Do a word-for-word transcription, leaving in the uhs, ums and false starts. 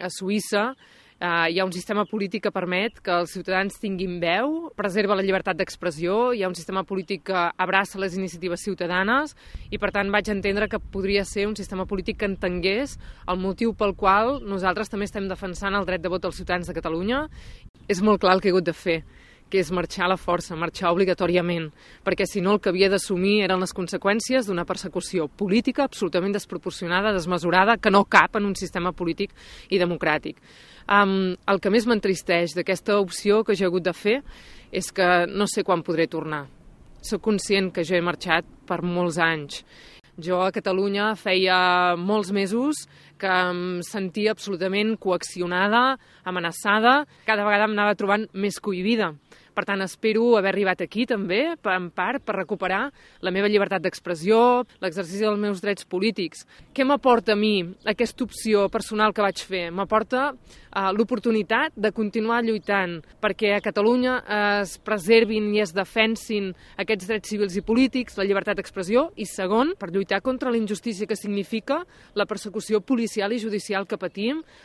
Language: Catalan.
a Suïssa Uh, hi ha un sistema polític que permet que els ciutadans tinguin veu, preserva la llibertat d'expressió, hi ha un sistema polític que abraça les iniciatives ciutadanes i, per tant, vaig entendre que podria ser un sistema polític que entengués el motiu pel qual nosaltres també estem defensant el dret de vot dels ciutadans de Catalunya. És molt clar el que he hagut de fer, que és marxar a la força, marxar obligatòriament, perquè si no el que havia d'assumir eren les conseqüències d'una persecució política absolutament desproporcionada, desmesurada, que no cap en un sistema polític i democràtic. Um, el que més m'entristeix d'aquesta opció que jo he hagut de fer és que no sé quan podré tornar. Soc conscient que jo he marxat per molts anys. Jo a Catalunya feia molts mesos que em sentia absolutament coaccionada, amenaçada, cada vegada em anava trobant més cohibida. Per tant, espero haver arribat aquí també, en part, per recuperar la meva llibertat d'expressió, l'exercici dels meus drets polítics. Què m'aporta a mi aquesta opció personal que vaig fer? M'aporta uh, l'oportunitat de continuar lluitant perquè a Catalunya es preservin i es defensin aquests drets civils i polítics, la llibertat d'expressió, i segon, per lluitar contra la injustícia que significa la persecució policial i judicial que patim